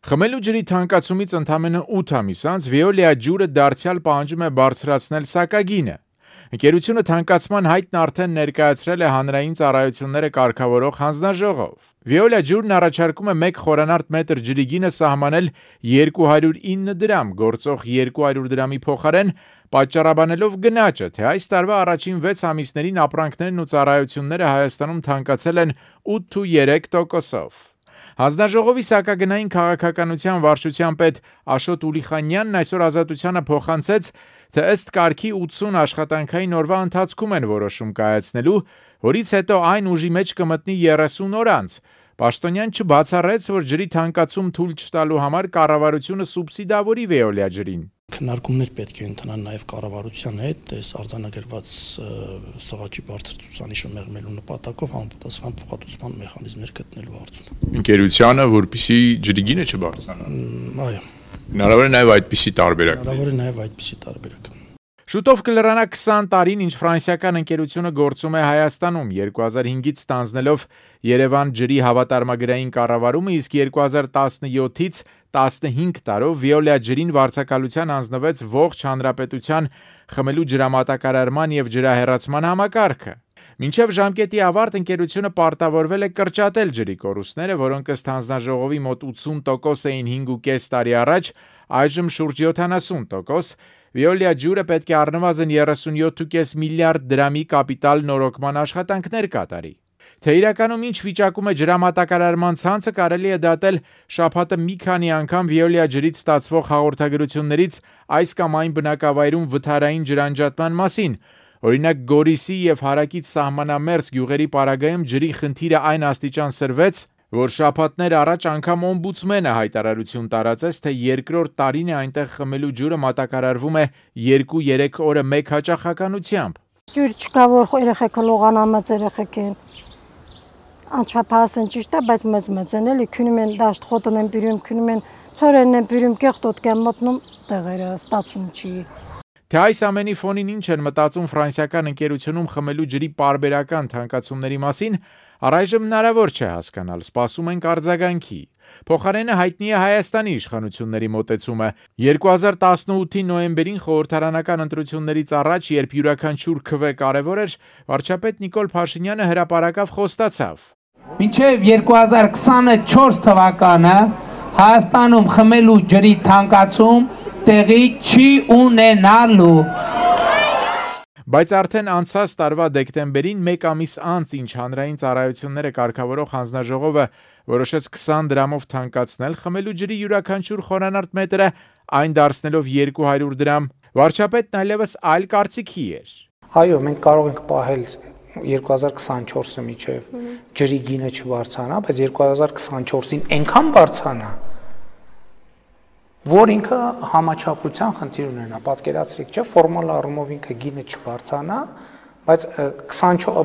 Խմելու ջրի թանկացումից ընդամենը 8 ամիս անց Veolia ջուրը դարձյալ պահանջում է բարձրացնել սակագինը։ Ընկերությունը թանկացման հայտն արդեն ներկայացրել է հանրային ծառայությունները կարգավորող հանձնաժողով։ Veolia ջուրն առաջարկում է 1 խորանարդ մետր ջրի գինը սահմանել 209 դրամ, գործող 200 դրամի փոխարեն, պատճառաբանելով գնաճը, թե այս տարվա առաջին 6 ամիսներին ապրանքներն ու ծառայությունները Հայաստանում թանկացել են 8,3%-ով։ Հանձնաժողովի սակագնային քաղաքականության վարչության պետ Աշոտ Ուլիխանյանն այսօր Ազատությանը փոխանցեց, թե ըստ կարգի 80 աշխատանքային օրվա ընթացքում են որոշում կայացնելու, որից հետո այն ուժի մեջ կմտնի 30 օր անց։ Պաշտոնյան չբացառեց, որ ջրի թանկացում թույլ չտալու համար կառավարությունը սուբսիդավորի Veolia ջրին։ Քննարկումներ պետք է ընթանան նաև կառավարության հետ, այս արձանագրված սղաճի բարձր ցուցանիշը մեղմելու նպատակով համապատասխան փոխհատուցման մեխանիզմներ գտնելու հարցում։ Ընկերությանը, որպեսզի ջրի գինը չբարձրանա։ Այո։ Հնարավոր է նաև այդպիսի տարբերակ։ Հնարավոր է նաև այդպիսի տարբերակ։ Շուտով կլրանա 20 տարին, ինչ ֆրանսիական ընկերությունը գործում է Հայաստանում, 2005-ից ստանձնելով Երևան ջրի հավատարմագրային կառավարումը, իսկ 2017-ից 15 տարով Veolia ջրին վարձակալության հանձնվեց ողջ հանրապետության խմելու ջրամատակարարման եւ ջրահեռացման համակարգը։ Մինչև ժամկետի ավարտ ընկերությունը պարտավորվել է կրճատել ջրի կորուստները, որոնք ըստ հանձնաժողովի մոտ 80% էին 5.5 տարի առաջ, այժմ շուրջ 70%։ Veolia ջուրը պետք է առնվազն 37.5 միլիարդ դրամի կապիտալ նորոգման աշխատանքներ կատարի։ Թե իրականում ինչ վիճակում է ջրամատակարարման ցանցը, կարելի է դատել շաբաթը մի քանի անգամ Veolia ջրից ստացվող հաղորդագրություններից այս կամ այն բնակավայրում վթարային ջրանջատման մասին։ Օրինակ Գորիսի եւ Հարակից սահմանամերձ գյուղերի պարագայում ջրի խնդիրը այն աստիճան սրվեց, որ շաբաթներ առաջ անգամ օմբուդսմենը հայտարարություն տարածեց, թե երկրորդ տարին է այնտեղ խմելու ջուրը մատակարարվում է 2-3 օրը մեկ հաճախականությամբ։ Ջուր չկա, որ երեխեքը լողանամած երեխեք են։ Անչափահասն ճիշտ է, բայց մեծ են էլի, քնում են դաշտ խոտն են բերում, քնում են ծորերն են բերում, կեղտոտ կան մտնում, տեղերը ստացում չի։ Թե այս ամենի ֆոնին ինչ են մտածում ֆրանսիական ընկերությունում խմելու ջրի պարբերական թանկացումների մասին, առայժմ հնարավոր չէ հասկանալ, սպասում ենք արձագանքի։ Փոխարենը հայտնի է Հայաստանի իշխանությունների մոտեցումը։ 2018-ի նոյեմբերին խորհրդարանական ընտրություններից առաջ, երբ յուրաքանչյուր քվե կարևոր էր, վարչապետ Նիկոլ Փաշինյանը հրապարակավ խոստացավ. Մինչև 2024 թվականը Հայաստանում խմելու ջրի թանկացում տեղի չի ունենալու։ Բայց արդեն անցած տարվա դեկտեմբերին, 1 ամիս անց, ինչ հանրային ծառայությունները կարգավորող հանձնաժողովը որոշեց 20 դրամով թանկացնել խմելու ջրի յուրաքանչյուր խորանարդ մետրը, այն դարձնելով 200 դրամ, վարչապետն այլևս այլ կարծիքի էր։ Այո, մենք կարող ենք պահել 2024-ը միջև ջրի գինը չբարձրանա, բայց 2024-ին այնքան բարձրանա, որ ինքը համաչափության խնդիր ունենա, պատկերացրեք, չէ, ֆորմալ առումով ինքը գինը չբարձրանա, բայց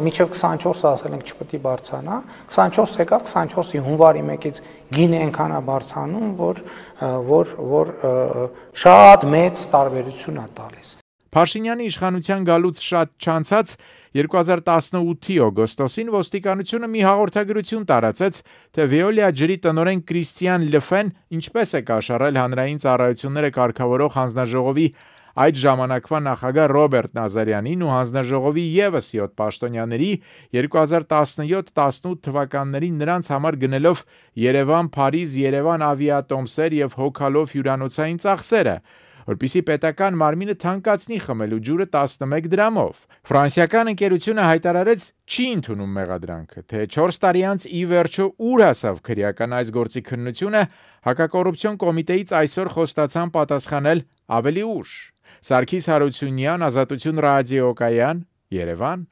մինչև 24-ը ասել ենք չպետք է բարձրանա, 24 եկավ, 24-ի հունվարի 1-ից գինը այնքան է բարձրանում, որ շատ մեծ տարբերություն է տալիս։ Փաշինյանի իշխանության գալուց շատ չանցած 2018-ի օգոստոսին ոստիկանությունը մի հաղորդագրություն տարածեց, թե Veolia ջրի տնօրեն Կրիստիան Լեֆեն ինչպես է կաշառել հանրային ծառայությունները կարգավորող հանձնաժողովի այդ ժամանակվա նախագահ Ռոբերտ Նազարյանին ու հանձնաժողովի եւս 7 պաշտոնյաների 2017-18 թվականներին նրանց համար գնելով Երևան-Փարիզ, Երևան ավիատոմսեր եւ հոգալով հյուրանոցային ծախսերը, որպեսզի պետական մարմինը թանկացնի խմելու ջուրը 11 դրամով։ Ֆրանսիական ընկերությունը հայտարարեց չի ընդունում մեղադրանքը, թե 4 տարի անց ի վերջո ուր հասավ քրեական այս գործի քննությունը, հակակոռուպցիոն կոմիտեից այսօր խոստացան պատասխանել ավելի ուշ։ Սարգիս Հարությունյան, Ազատություն ռադիոկայան, Երևան։